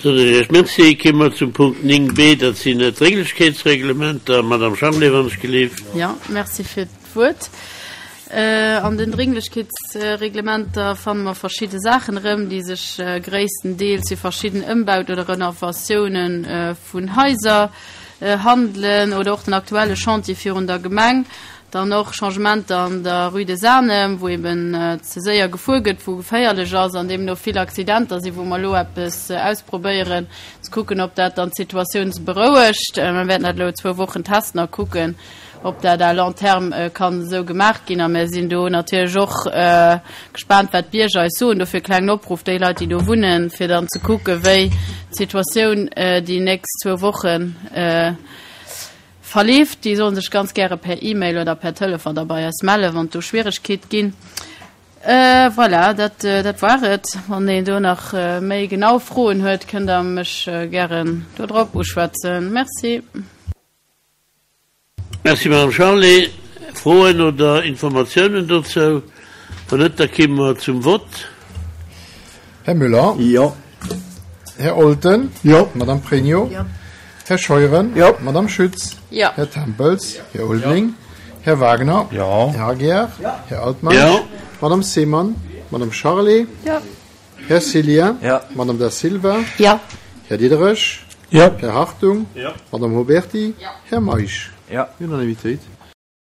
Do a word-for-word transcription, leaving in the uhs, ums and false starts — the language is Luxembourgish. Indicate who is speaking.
Speaker 1: Soen ech Iech Merci. Komme mer zum Punkt néng b, dat sinn d'Drénglechkeetsreglementer. Madame Charlé, wann ech gelift.
Speaker 2: Jo, merci fir d'Wuert. An den Drénglechkeetsreglementer fanne mer verschidde Saachen erëm, déi sech gréisstendeels fir verschidden Ëmbauten oder Renovatiounen vun Haiser handelen oder och den aktuelle Chantier virun der Gemeng. Dann och Changementer an der Rue des Arnhem, wou eben ze séier gefuer gëtt, wou geféierlech ass an deemno vill Accidenter sinn, wou mer elo eppes ausprobéieren, ze kucken, ob dat dann d'Situatioun berouegt. Mer wäerten dat elo zwou Wochen testen a kucken, ob dat à long terme kann esou gemaach ginn. A mir sinn do natierlech och gespaant, wat d'Bierger eis soen. Dofir e klengen Opruff, déi Leit, déi do wunnen, fir dann ze kucken, wéi d'Situatioun déi nächst zwou Wochen verleeft. Déi solle sech ganz gäre per E-Mail oder per Telefon da bei eis mellen, wann et do Schwieregkeet ginn. Voilà, dat, dat war et. Wann een do nach méi genau Froen huet, kënnt Der mech gären do drop uschwätzen. Merci.
Speaker 1: Merci, Madame Charlé. Froen oder Informatiounen dozou? Wann net, da komme mer zum Vott.
Speaker 3: Här Müller?
Speaker 4: Jo.
Speaker 3: Här Olten?
Speaker 4: Jo.
Speaker 3: Madame Pregno?
Speaker 2: Jo.
Speaker 3: Här Scheuren?
Speaker 4: Jo.
Speaker 3: Madame Schütz?
Speaker 2: Jo.
Speaker 3: Här Tempels? Här Ulveling? Här Wagner?
Speaker 4: Jo.
Speaker 3: Här Aguiar? Här Altmeisch?
Speaker 1: Jo.
Speaker 3: Madame Seemann? Madame Charlé?
Speaker 2: Jo.
Speaker 3: Här Cillien?
Speaker 4: Jo.
Speaker 3: Madame Da Silva?
Speaker 2: Jo.
Speaker 3: Här Diderich?
Speaker 4: Jo.
Speaker 3: Här Hartung?
Speaker 1: Jo.
Speaker 3: Madame Huberty?
Speaker 2: Jo.
Speaker 3: Här Meisch?
Speaker 4: Jo.
Speaker 3: Unanimitéit.